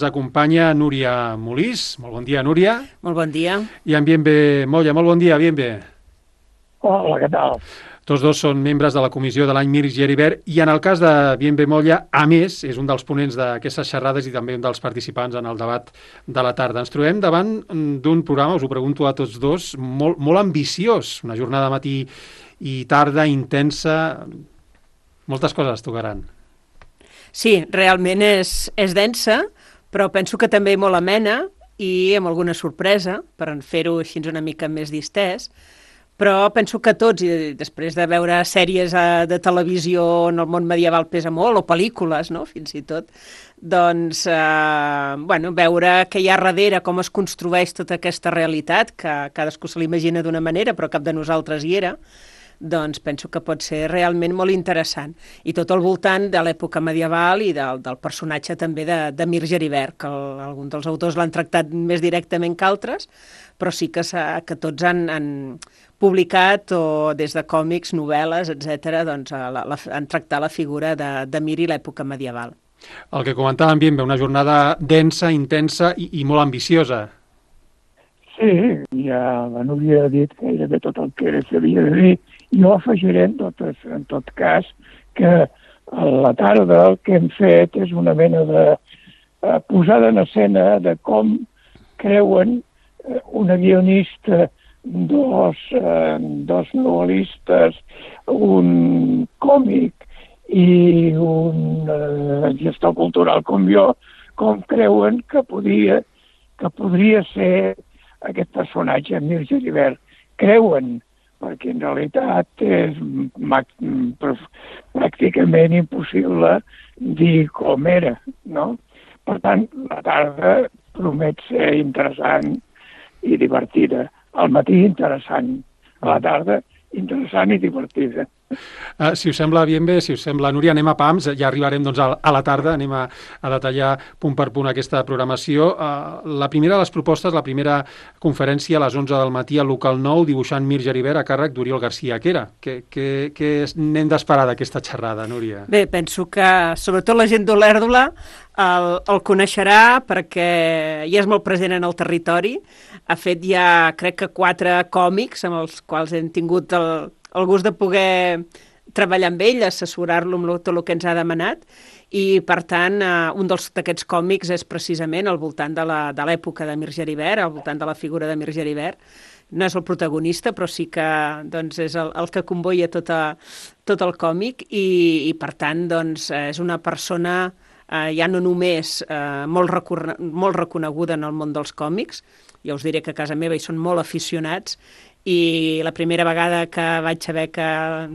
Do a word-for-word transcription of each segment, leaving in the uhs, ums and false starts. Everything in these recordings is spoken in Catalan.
Ens acompanya Núria Molís. Molt bon dia, Núria. Molt bon dia. I en Bienve Molla. Molt bon dia, Bienve. Hola, què tal? Tots dos són membres de la comissió de l'any Mir Geribert i en el cas de Bienve Molla, a més, és un dels ponents d'aquestes xerrades i també un dels participants en el debat de la tarda. Ens trobem davant d'un programa, us ho pregunto a tots dos, molt, molt ambiciós. Una jornada matí i tarda intensa. Moltes coses tocaran. Sí, realment és, és densa, però penso que també molt amena i amb alguna sorpresa, per fer-ho així una mica més distès, però penso que tots, i després de veure sèries de televisió on el món medieval pesa molt, o pel·lícules, no?, fins i tot, doncs, eh, bueno, veure què hi ha darrere, com es construeix tota aquesta realitat, que cadascú se l'imagina d'una manera, però cap de nosaltres hi era, doncs penso que pot ser realment molt interessant. I tot al voltant de l'època medieval i del, del personatge també de, de Mir Geribert, que el, alguns dels autors l'han tractat més directament que altres, però sí que, que tots han, han publicat, o des de còmics, novel·les, etcètera, doncs la, la, han tractat la figura de, de Mir i l'època medieval. El que comentàvem, Bienve, una jornada densa, intensa i, i molt ambiciosa. Sí, ja la Núria ha dit gairebé tot el que s'havia de dir. Jo afegiré, en tot, en tot cas, que a la tarda el que hem fet és una mena de eh, posada en escena de com creuen eh, una guionista, dos, eh, dos novel·listes, un còmic i un eh, gestor cultural com jo, com creuen que podria, que podria ser aquest personatge, Mir Geribert. Creuen, perquè en realitat és pràcticament impossible dir com era, no? Per tant, la tarda promet ser interessant i divertida. Al matí interessant, a la tarda interessant i divertida. Uh, si us sembla, Bienve, si us sembla, Núria, anem a pams, ja arribarem doncs, a, a la tarda, anem a, a detallar punt per punt aquesta programació. Uh, la primera de les propostes, la primera conferència a les onze del matí al local nou, dibuixant Mir Geribert a càrrec d'Oriol García Quera. Què, què, què n'hem d'esperar d'aquesta xerrada, Núria? Bé, penso que sobretot la gent d'Olèrdola el, el coneixerà perquè ja és molt present en el territori. Ha fet ja, crec que quatre còmics amb els quals hem tingut el el gust de poder treballar amb ell, assessorar-lo amb tot el que ens ha demanat, i per tant un d'aquests còmics és precisament al voltant de l'època de, de Mir Geribert, al voltant de la figura de Mir Geribert. No és el protagonista, però sí que doncs, és el, el que convoia tot, a, tot el còmic i, i per tant doncs, és una persona eh, ja no només eh, molt, recor- molt reconeguda en el món dels còmics, ja us diré que a casa meva hi són molt aficionats, i la primera vegada que vaig saber que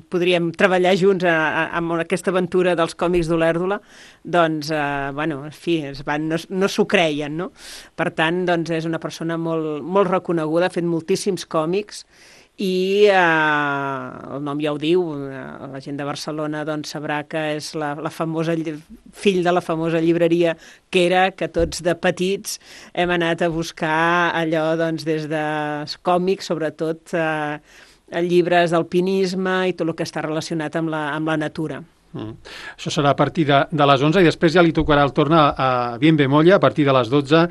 podríem treballar junts a, a, amb aquesta aventura dels còmics d'Olèrdola, doncs, eh, bueno, en fi, es van, no, no s'ho creien, no? Per tant, doncs, és una persona molt, molt reconeguda, ha fet moltíssims còmics, i eh, el nom ja ho diu, la gent de Barcelona doncs, sabrà que és la, la famosa, fill de la famosa llibreria que era, que tots de petits hem anat a buscar allò doncs, des de còmics, sobretot eh, llibres d'alpinisme i tot el que està relacionat amb la, amb la natura. Mm. Això serà a partir de, de les onze i després ja li tocarà el torn a, a Bienve Molla a partir de les dotze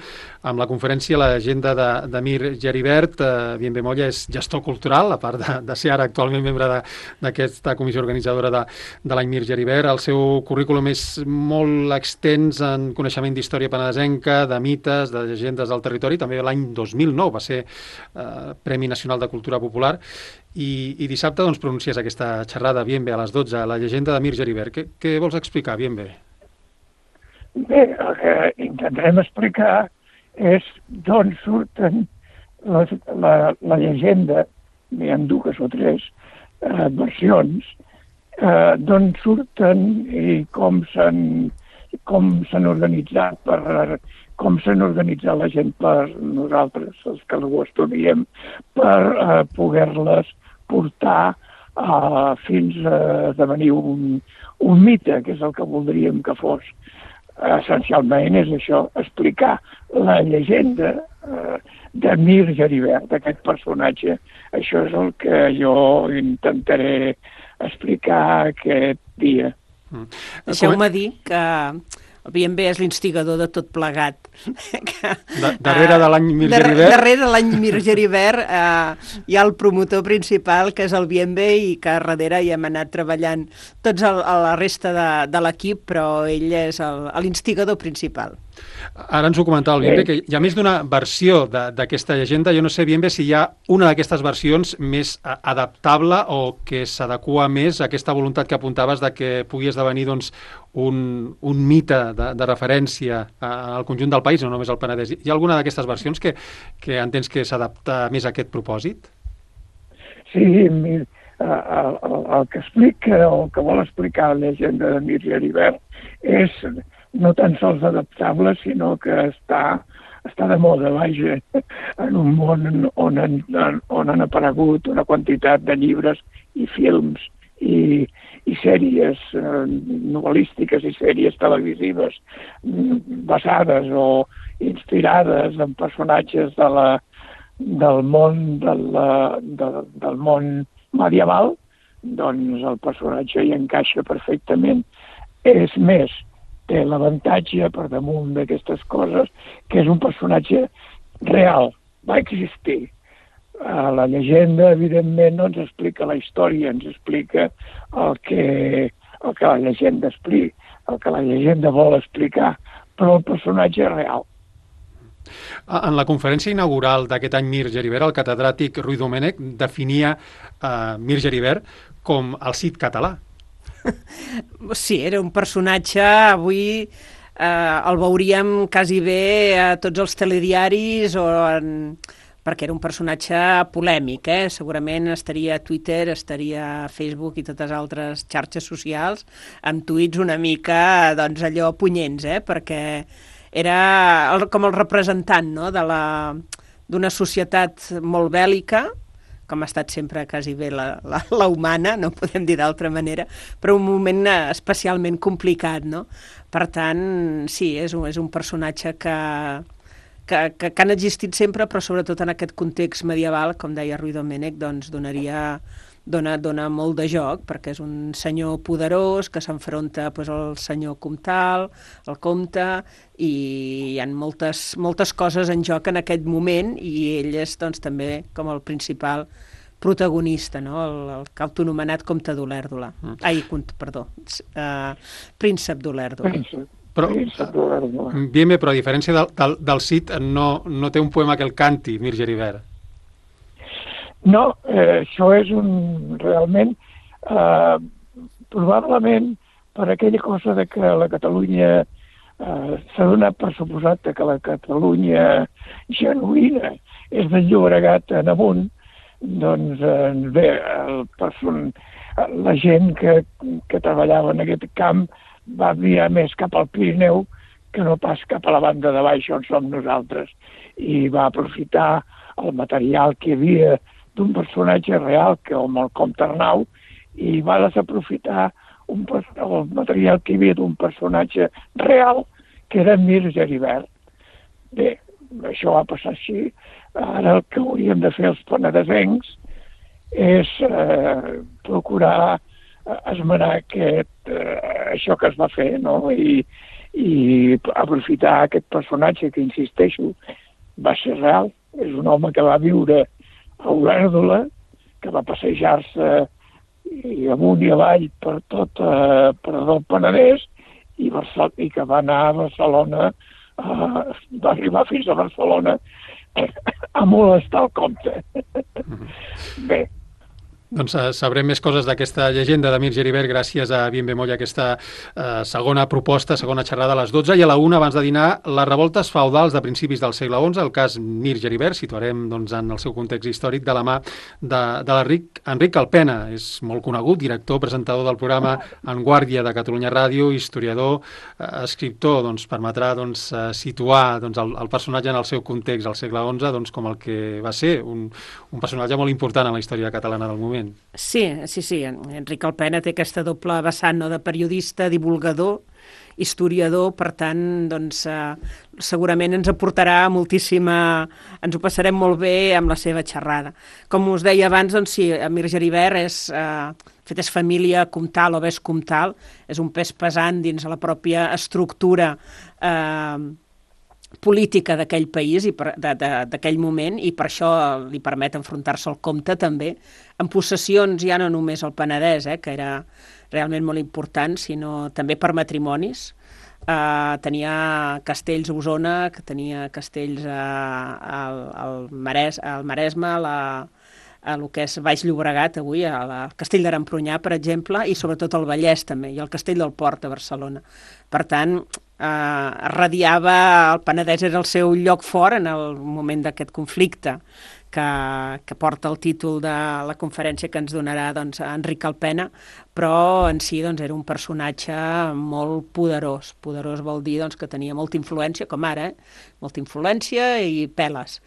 amb la conferència l'agenda de, de Mir Geribert. Uh, Bienve Molla és gestor cultural, a part de, de ser ara actualment membre d'aquesta comissió organitzadora de, de l'any Mir Geribert. El seu currículum és molt extens en coneixement d'història penedesenca, de mites, de llegendes del territori. També l'any dos mil nou va ser uh, Premi Nacional de Cultura Popular. I, i dissabte doncs, pronuncies aquesta xerrada, Bienve, a les dotze, la llegenda de Mir Geribert. Què, què vols explicar, Bienve? Bé, el que intentarem explicar és d'on surten les, la, la llegenda, hi ha dues o tres eh, versions, eh, d'on surten i com s'han com s'han organitzat per com s'han organitzat la gent per nosaltres, els que ho estudiem, per eh, poder-les portar uh, fins a esdevenir un, un mite, que és el que voldríem que fos. Essencialment és això, explicar la llegenda uh, de Mir Geribert, d'aquest personatge. Això és el que jo intentaré explicar aquest dia. Mm. Deixeu-me dir que el Bienve és l'instigador de tot plegat. De, darrere de l'any Mir Dar Geribert? Darrere de l'any Mir Geribert eh, hi ha el promotor principal, que és el Bienve, i que darrere hi hem anat treballant tots el, a la resta de, de l'equip, però ell és l'instigador principal. Ara ens ho comentava el Bienve, que hi ha més d'una versió d'aquesta llegenda. Jo no sé, Bienve, si hi ha una d'aquestes versions més adaptable o que s'adequa més a aquesta voluntat que apuntaves de que pugui esdevenir doncs, un, un mite de, de referència al conjunt del país, no només al Penedès. Hi ha alguna d'aquestes versions que, que entens que s'adapta més a aquest propòsit? Sí, el, el, el que explica, o que vol explicar la llegenda de Mir Geribert és no tan sols adaptable, sinó que està, està de moda, vaja, en un món on han, on han aparegut una quantitat de llibres i films i, i sèries eh, novel·lístiques i sèries televisives basades o inspirades en personatges de la, del món de la, de, del món medieval. Doncs el personatge hi encaixa perfectament. És més, té l'avantatge per damunt d'aquestes coses, que és un personatge real, va existir. La llegenda, evidentment, no ens explica la història, ens explica el que, el que la llegenda explica, el que la llegenda vol explicar, però el personatge és real. En la conferència inaugural d'aquest any Mir Geribert, el catedràtic Ruiz Domènech definia uh, Mir Geribert com el Cid català. Sí, era un personatge, avui eh, el veuríem quasi bé a tots els telediaris, o en... perquè era un personatge polèmic, eh? Segurament estaria a Twitter, estaria a Facebook i totes altres xarxes socials, amb tuits una mica, doncs, allò punyents, eh? Perquè era el, com el representant, no?, de la, d'una societat molt bèl·lica, com ha estat sempre quasi bé la, la, la humana, no podem dir d'altra manera, però un moment especialment complicat, no? Per tant, sí, és un, és un personatge que, que, que, que han existit sempre, però sobretot en aquest context medieval, com deia Ruiz Domènech, doncs donaria, dona, dona molt de joc, perquè és un senyor poderós que s'enfronta pues, al senyor comtal, al comte, i hi ha moltes, moltes coses en joc en aquest moment, i ell és doncs, també com el principal protagonista, no? el, el autonomenat comte d'Olèrdola. Mm. Ai, perdó, uh, príncep d'Olèrdola. Però, Bienve, però a diferència del, del, del Cid, no, no té un poema que el canti, Mir Geribert. No, eh, això és un, realment, eh, probablement per aquella cosa de que la Catalunya, eh, s'ha donat per suposat que la Catalunya genuïna és del Llobregat en amunt, doncs eh, bé, el person, la gent que, que treballava en aquest camp va mirar més cap al Pirineu que no pas cap a la banda de baix on som nosaltres, i va aprofitar el material que hi havia d'un personatge real, que com el comte Arnau, i va desaprofitar un, el material que hi havia d'un personatge real, que era Mir Geribert. Bé, això va passar així. Ara el que hauríem de fer els penedesencs és eh, procurar esmenar aquest, eh, això que es va fer, no? I, i aprofitar aquest personatge que, insisteixo, va ser real. És un home que va viure a Olèrdola, que va passejar-se i amunt i avall per tot, eh, per tot el Penedès, i, i que va anar a Barcelona, eh, va arribar fins a Barcelona a molestar el comte. Bé. Doncs eh, sabrem més coses d'aquesta llegenda de Mir Geribert gràcies a Bienve Molla, aquesta eh, segona proposta, segona xerrada a les dotze, i a la una, abans de dinar, les revoltes feudals de principis del segle onze, el cas Mir Geribert, situarem doncs, en el seu context històric de la mà de, de l'Enric Enric Alpena. És molt conegut, director, presentador del programa En Guàrdia de Catalunya Ràdio, historiador, eh, escriptor, doncs permetrà doncs, eh, situar doncs, el, el personatge en el seu context al segle onze, doncs, com el que va ser un, un personatge molt important en la història catalana del moment. perfectament. Sí, sí, sí. Enric Alpena té aquesta doble vessant, no?, de periodista, divulgador, historiador, per tant, doncs, eh, segurament ens aportarà moltíssima... Ens ho passarem molt bé amb la seva xerrada. Com us deia abans, doncs sí, Mir Geribert és, eh, fet és família comtal o ves comtal, és un pes pesant dins la pròpia estructura eh, política d'aquell país i d'aquell moment, i per això li permet enfrontar-se al comte també, en possessions ja no només al Penedès, eh, que era realment molt important, sinó també per matrimonis. Uh, tenia castells a Osona, que tenia castells a, a, al, Mares, al Maresme, a, la, a lo que és Baix Llobregat avui, al castell d'Arampronyà, per exemple, i sobretot al Vallès també, i al castell del Port a Barcelona. Per tant, uh, radiava, el Penedès era el seu lloc fort en el moment d'aquest conflicte, que, que porta el títol de la conferència que ens donarà, doncs, Enric Alpena, però en si, doncs, era un personatge molt poderós. Poderós vol dir, doncs, que tenia molta influència, com ara, eh? Molta influència i peles,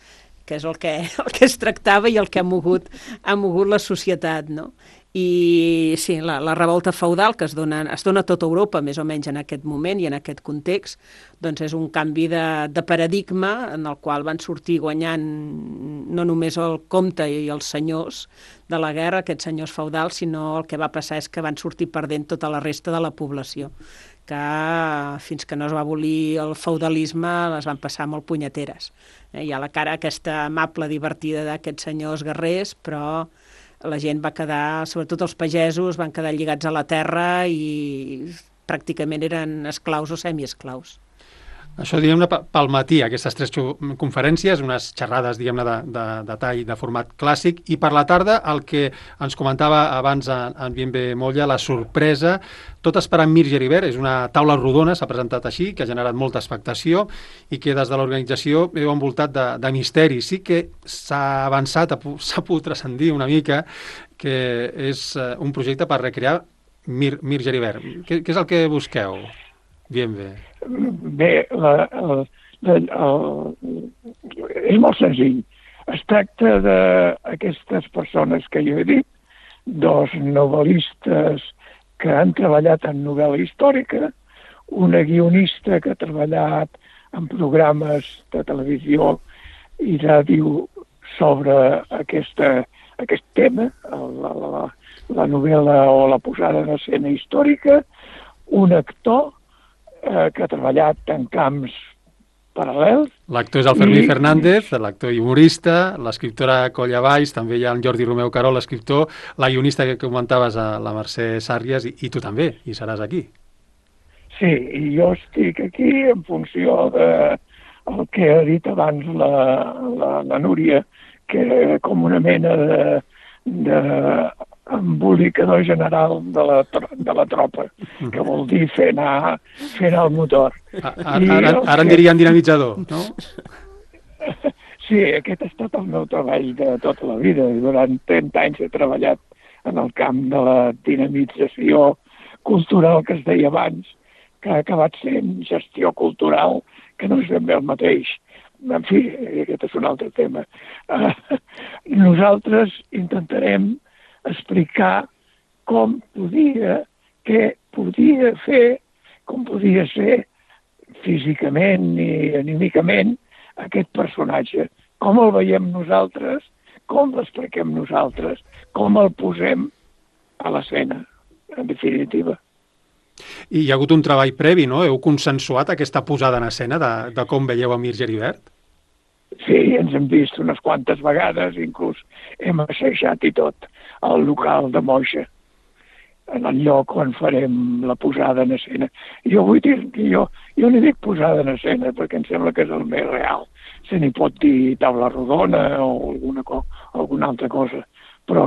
que és el que, el que es tractava i el que ha mogut, ha mogut la societat, no? I sí, la, la revolta feudal que es dona, es dona a tota Europa, més o menys en aquest moment i en aquest context, doncs és un canvi de, de paradigma en el qual van sortir guanyant no només el comte i els senyors de la guerra, aquests senyors feudals, sinó el que va passar és que van sortir perdent tota la resta de la població, que fins que no es va abolir el feudalisme les van passar molt punyeteres. Eh, hi ha la cara aquesta amable, divertida d'aquests senyors guerrers, però la gent va quedar, sobretot els pagesos, van quedar lligats a la terra i pràcticament eren esclaus o semiesclaus. Això, diguem-ne, pel matí, aquestes tres conferències, unes xerrades, diguem-ne, de, de, de tall, de format clàssic, i per la tarda el que ens comentava abans en, en Bienve Molla, la sorpresa, tot esperant Mir Geribert, és una taula rodona, s'ha presentat així, que ha generat molta expectació i que des de l'organització veu envoltat de, de misteri. Sí que s'ha avançat, s'ha pogut transcendir una mica, que és un projecte per recrear Mir, Mir Geribert. Què, què és el que busqueu? Bienve. Bé, la, la, la, la, és molt senzill. Es tracta d'aquestes persones que jo he dit, dos novel·listes que han treballat en novel·la històrica, una guionista que ha treballat en programes de televisió i ràdio sobre aquesta, aquest tema, la, la, la novel·la o la posada en escena històrica, un actor eh, que ha treballat en camps paral·lels. L'actor és el Fermí I... Fernández, l'actor i humorista, l'escriptora Colla Valls, també hi ha en Jordi Romeu Carol, l'escriptor, la guionista que comentaves, a la Mercè Sàrries, i, i tu també, i seràs aquí. Sí, i jo estic aquí en funció de el que ha dit abans la, la, la Núria, que era com una mena de, de embolicador general de la, de la tropa, que vol dir fer anar, fer anar el motor. Ara, ara, ara en dirien dinamitzador, no? Sí, aquest ha estat el meu treball de tota la vida. Durant trenta anys he treballat en el camp de la dinamització cultural que es deia abans, que ha acabat sent gestió cultural, que no és ben bé el mateix. En fi, aquest és un altre tema. Uh, nosaltres intentarem explicar com podia, què podia fer, com podia ser físicament i anímicament aquest personatge. Com el veiem nosaltres, com l'expliquem nosaltres, com el posem a l'escena, en definitiva. I hi ha hagut un treball previ, no? Heu consensuat aquesta posada en escena de, de com veieu a Mir Geribert? Sí, ens hem vist unes quantes vegades, inclús hem assajat i tot al local de Moixa, en el lloc on farem la posada en escena. Jo vull dir que jo, jo n'hi dic posada en escena perquè em sembla que és el més real. Se n'hi pot dir taula rodona o alguna, co alguna altra cosa, però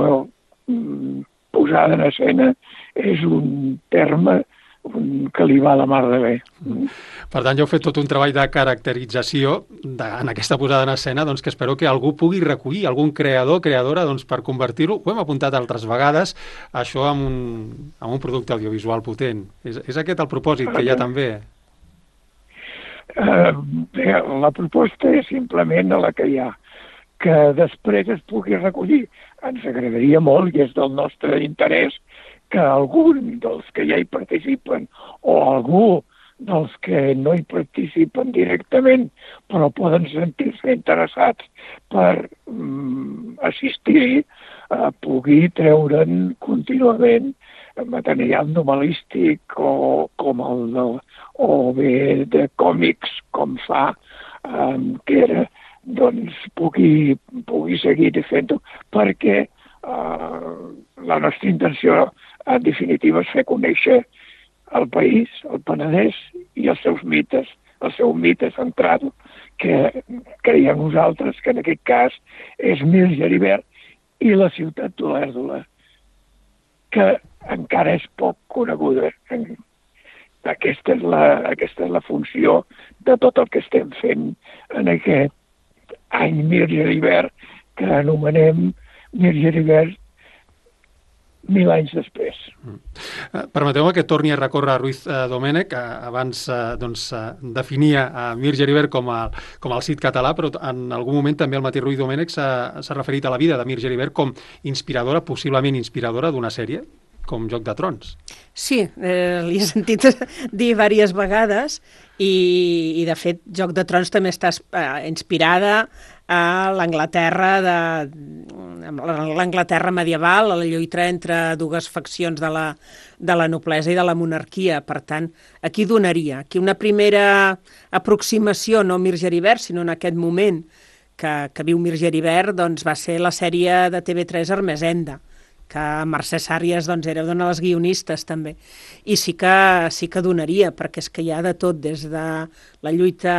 mm, posada en escena és un terme que li va a la mar de bé. Per tant, ja heu fet tot un treball de caracterització de, en aquesta posada en escena, doncs, que espero que algú pugui recollir, algun creador, creadora, doncs, per convertir-ho, ho hem apuntat altres vegades, això en un, en un producte audiovisual potent. És, és aquest el propòsit que hi ha també? Uh, bé, la proposta és simplement la que hi ha, que després es pugui recollir. Ens agradaria molt, i és del nostre interès, que algun dels que ja hi participen o algú dels que no hi participen directament, però poden sentir-se interessats per mm, assistir, eh, pugui treure'n contínuament material novel·lístic o, com el de, o bé de còmics, com fa, eh, que era, doncs pugui, pugui seguir fent-ho, perquè eh, la nostra intenció, en definitiva, és fer conèixer el país, el Penedès i els seus mites, el seu mite central, que creiem nosaltres que en aquest cas és Mir Geribert i la ciutat d'Olèrdola, que encara és poc coneguda. Aquesta és la, aquesta és la funció de tot el que estem fent en aquest any Mir Geribert, que anomenem Mir Geribert mil anys després. Mm. Uh, Permeteu-me que torni a recórrer a Ruiz uh, Domènech. Uh, abans uh, doncs, uh, definia uh, Mir Geribert com, a, com el Cid català, però en algun moment també el mateix Ruiz Domènech s'ha referit a la vida de Mir Geribert com inspiradora, possiblement inspiradora d'una sèrie com Joc de Trons. Sí, eh, li he sentit dir diverses vegades i, i de fet Joc de Trons també està eh, inspirada a l'Anglaterra de l'Anglaterra medieval, a la lluita entre dues faccions de la, de la noblesa i de la monarquia. Per tant, aquí donaria, aquí una primera aproximació, no Mir Geribert, sinó en aquest moment que, que viu Mir Geribert, doncs va ser la sèrie de T V tres Ermessenda, que Mercè Sàrries doncs, era una de les guionistes també. I sí que, sí que donaria, perquè és que hi ha de tot, des de la lluita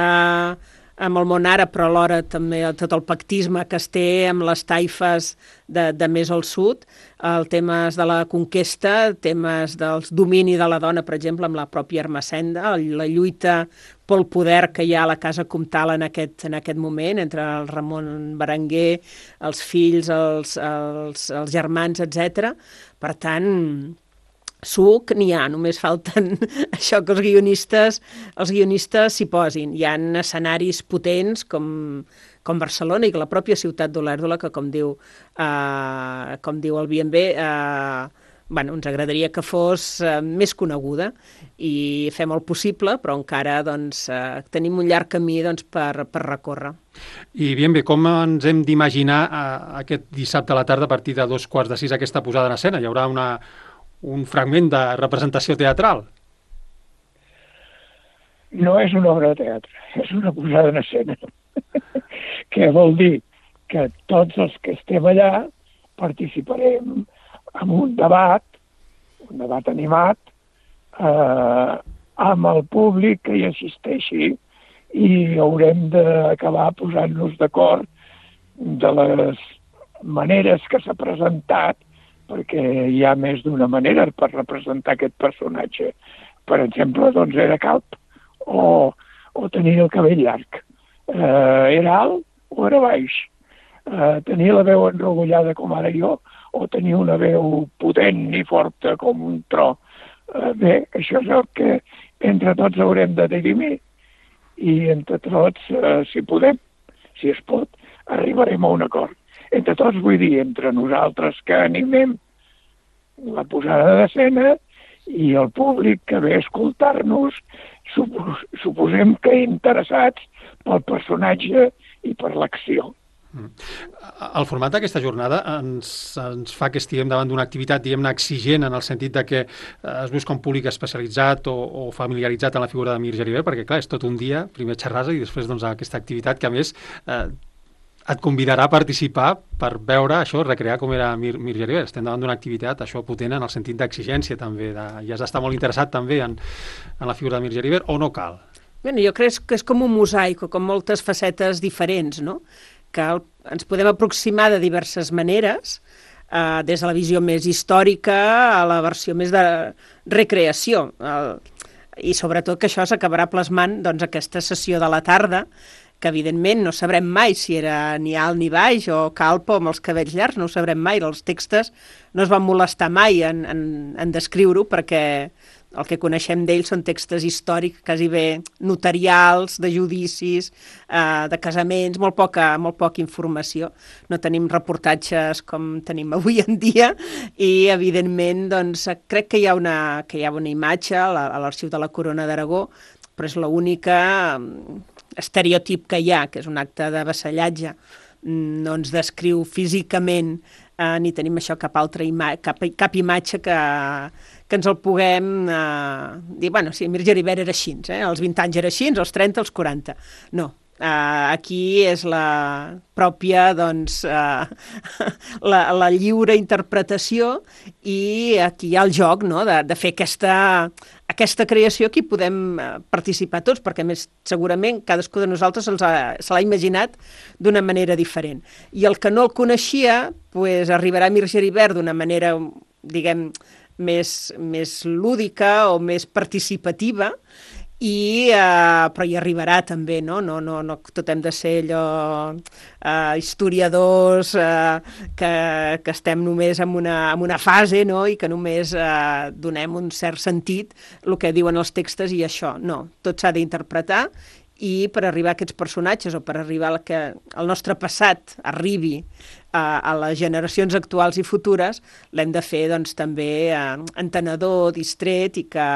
amb el món àrab, però alhora també tot el pactisme que es té amb les taifes de, de més al sud, el temes de la conquesta, temes del domini de la dona, per exemple, amb la pròpia Ermessenda, la lluita pel poder que hi ha a la casa comtal en aquest, en aquest moment, entre el Ramon Berenguer, els fills, els, els, els germans, etcètera. Per tant, suc n'hi ha, només falten això que els guionistes els guionistes s'hi posin. Hi ha escenaris potents com, com Barcelona i la pròpia ciutat d'Olèrdola, que com diu, eh, com diu el B and B, eh, bueno, ens agradaria que fos eh, més coneguda i fem el possible, però encara doncs, eh, tenim un llarg camí doncs, per, per recórrer. I bien bé, com ens hem d'imaginar eh, aquest dissabte a la tarda a partir de dos quarts de sis aquesta posada en escena? Hi haurà una un fragment de representació teatral? No és una obra de teatre, és una posada en escena. Que vol dir que tots els que estem allà participarem en un debat, un debat animat, eh, amb el públic que hi assisteixi i haurem d'acabar posant-nos d'acord de les maneres que s'ha presentat, perquè hi ha més d'una manera per representar aquest personatge. Per exemple, doncs era calb o, o tenia el cabell llarg. Eh, era alt o era baix. Eh, tenia la veu enrogullada com ara jo o tenia una veu potent i forta com un tro. Eh, bé, això és el que entre tots haurem de dirimir i entre tots, eh, si podem, si es pot, arribarem a un acord. Entre tots, vull dir, entre nosaltres que animem la posada d'escena i el públic que ve a escoltar-nos, supos, suposem que interessats pel personatge i per l'acció. El format d'aquesta jornada ens, ens fa que estiguem davant d'una activitat, diguem-ne, exigent en el sentit de que es busca un públic especialitzat o, o familiaritzat en la figura de Mir Geribert, perquè, clar, és tot un dia, primer xerrasa i després doncs, aquesta activitat que, a més, eh, et convidarà a participar per veure això, recrear com era Mir, Mir Geribert. Estem davant d'una activitat, això potent en el sentit d'exigència també, de, ja has d'estar molt interessat també en, en la figura de Mir Geribert, o no cal? Bueno, jo crec que és com un mosaic, com moltes facetes diferents, no? Que el, ens podem aproximar de diverses maneres, eh, des de la visió més històrica a la versió més de recreació. El, I sobretot que això s'acabarà plasmant doncs, aquesta sessió de la tarda, que evidentment no sabrem mai si era ni alt ni baix o calp o amb els cabells llargs, no ho sabrem mai. Els textos no es van molestar mai en, en, en descriure-ho perquè el que coneixem d'ell són textos històrics, quasi bé notarials, de judicis, eh, de casaments, molt poca, molt poca informació. No tenim reportatges com tenim avui en dia i, evidentment, doncs, crec que hi ha una, que hi ha una imatge a l'Arxiu de la Corona d'Aragó, però és l'única estereotip que hi ha, que és un acte de vassallatge. No ens descriu físicament eh, ni tenim això cap altra ima cap, cap imatge que, que ens el puguem eh, dir, bueno, sí, Mir Geribert era així, eh? Als vint anys era així, als trenta, als quaranta. No, eh, aquí és la pròpia, doncs, eh, la, la lliure interpretació i aquí hi ha el joc, no?, de, de fer aquesta, aquesta creació que hi podem participar tots, perquè més segurament cadascú de nosaltres se l'ha imaginat d'una manera diferent. I el que no el coneixia, pues, arribarà a Mir Geribert d'una manera, diguem, més, més lúdica o més participativa, i, eh, però hi arribarà també, no? No, no, no tot hem de ser allò eh, historiadors eh, que, que estem només en una, en una fase, no? I que només eh, donem un cert sentit el que diuen els textos i això. No, tot s'ha d'interpretar i per arribar a aquests personatges o per arribar a que el nostre passat arribi a, a les generacions actuals i futures, l'hem de fer, doncs, també eh, entenedor, distret i que,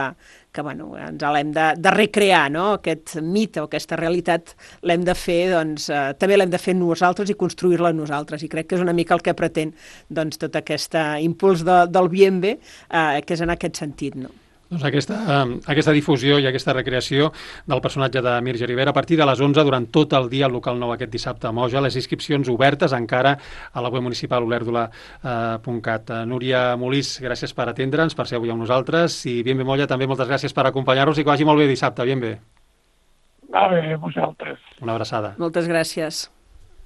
que bueno, ens l'hem de, de recrear, no? Aquest mite o aquesta realitat l'hem de fer, doncs, eh, també l'hem de fer nosaltres i construir-la nosaltres. I crec que és una mica el que pretén, doncs, tot aquest impuls de, del Bienve, eh, que és en aquest sentit, no? Doncs aquesta, eh, aquesta difusió i aquesta recreació del personatge de Mir Geribert a partir de les onze durant tot el dia al local nou aquest dissabte a Moja, les inscripcions obertes encara a la web municipal olèrdola punt cat. Eh, Núria Molís, gràcies per atendre'ns, per ser avui amb nosaltres, i Bienve Molla també moltes gràcies per acompanyar-nos i que vagi molt bé dissabte. Bienve. Va bé, vosaltres. Una abraçada. Moltes gràcies.